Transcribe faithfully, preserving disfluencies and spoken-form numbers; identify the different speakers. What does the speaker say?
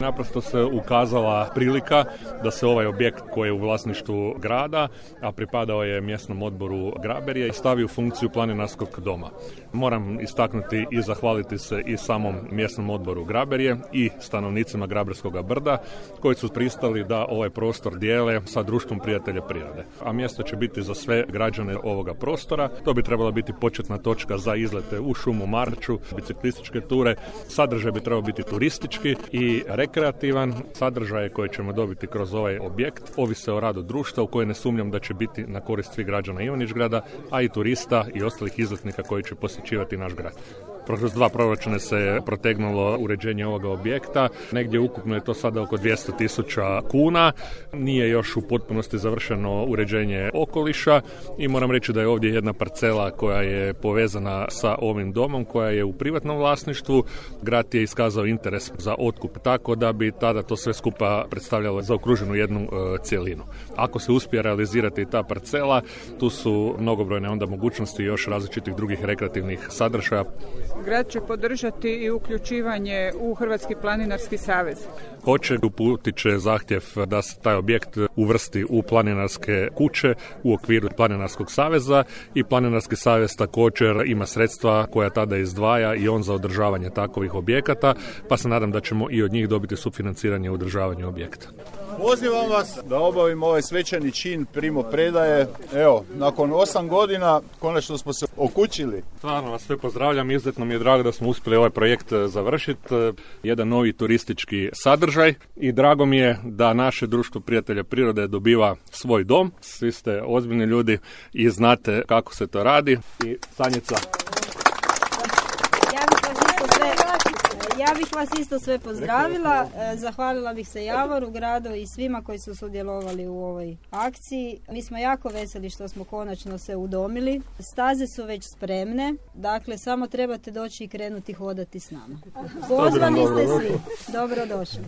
Speaker 1: Naprosto se ukazala prilika da se ovaj objekt koji je u vlasništvu grada, a pripadao je mjesnom odboru Graberje, stavi u funkciju planinarskog doma. Moram istaknuti i zahvaliti se i samom mjesnom odboru Graberje i stanovnicima Graberskoga brda koji su pristali da ovaj prostor dijele sa društvom prijatelja prirode. A mjesto će biti za sve građane ovoga prostora. To bi trebala biti početna točka za izlete u šumu, marču, biciklističke ture. Sadržaj bi trebao biti turistički i rekreativan. Sadržaje koje ćemo dobiti kroz ovaj objekt ovise o radu društva u koje ne sumnjam da će biti na korist svih građana Ivanić-grada, a i turista i ostalih izletnika koji će posjećivati naš grad. Kroz dva proračuna se protegnulo uređenje ovoga objekta. Negdje ukupno je to sada oko dvjesto tisuća kuna. Nije još u potpunosti završeno uređenje okoliša i moram reći da je ovdje jedna parcela koja je povezana sa ovim domom, koja je u privatnom vlasništvu. Grad je iskazao interes za otkup, tako da bi tada to sve skupa predstavljalo zaokruženu jednu e, cjelinu. Ako se uspije realizirati ta parcela, tu su mnogobrojne onda mogućnosti još različitih drugih rekreativnih sadržaja.
Speaker 2: Grad će podržati i uključivanje u Hrvatski planinarski savez.
Speaker 1: Hoće, uputit će zahtjev da se taj objekt uvrsti u planinarske kuće u okviru Planinarskog saveza i Planinarski savez također ima sredstva koja tada izdvaja i on za održavanje takovih objekata, pa se nadam da ćemo i od njih dobiti sufinanciranje u održavanju objekta.
Speaker 3: Pozivam vas da obavimo ovaj svečani čin primopredaje. Evo, nakon osam godina konačno smo se okućili.
Speaker 1: Stvarno vas sve pozdravljam, izuzetno mi je drago da smo uspjeli ovaj projekt završiti. Jedan novi turistički sadržaj i drago mi je da naše društvo prijatelja prirode dobiva svoj dom. Svi ste ozbiljni ljudi i znate kako se to radi. I Sanjica.
Speaker 4: Ja bih vas isto sve pozdravila, zahvalila bih se Javoru, gradu i svima koji su sudjelovali u ovoj akciji. Mi smo jako veseli što smo konačno se udomili. Staze su već spremne, dakle samo trebate doći i krenuti hodati s nama. Pozvani ste svi. Dobrodošli.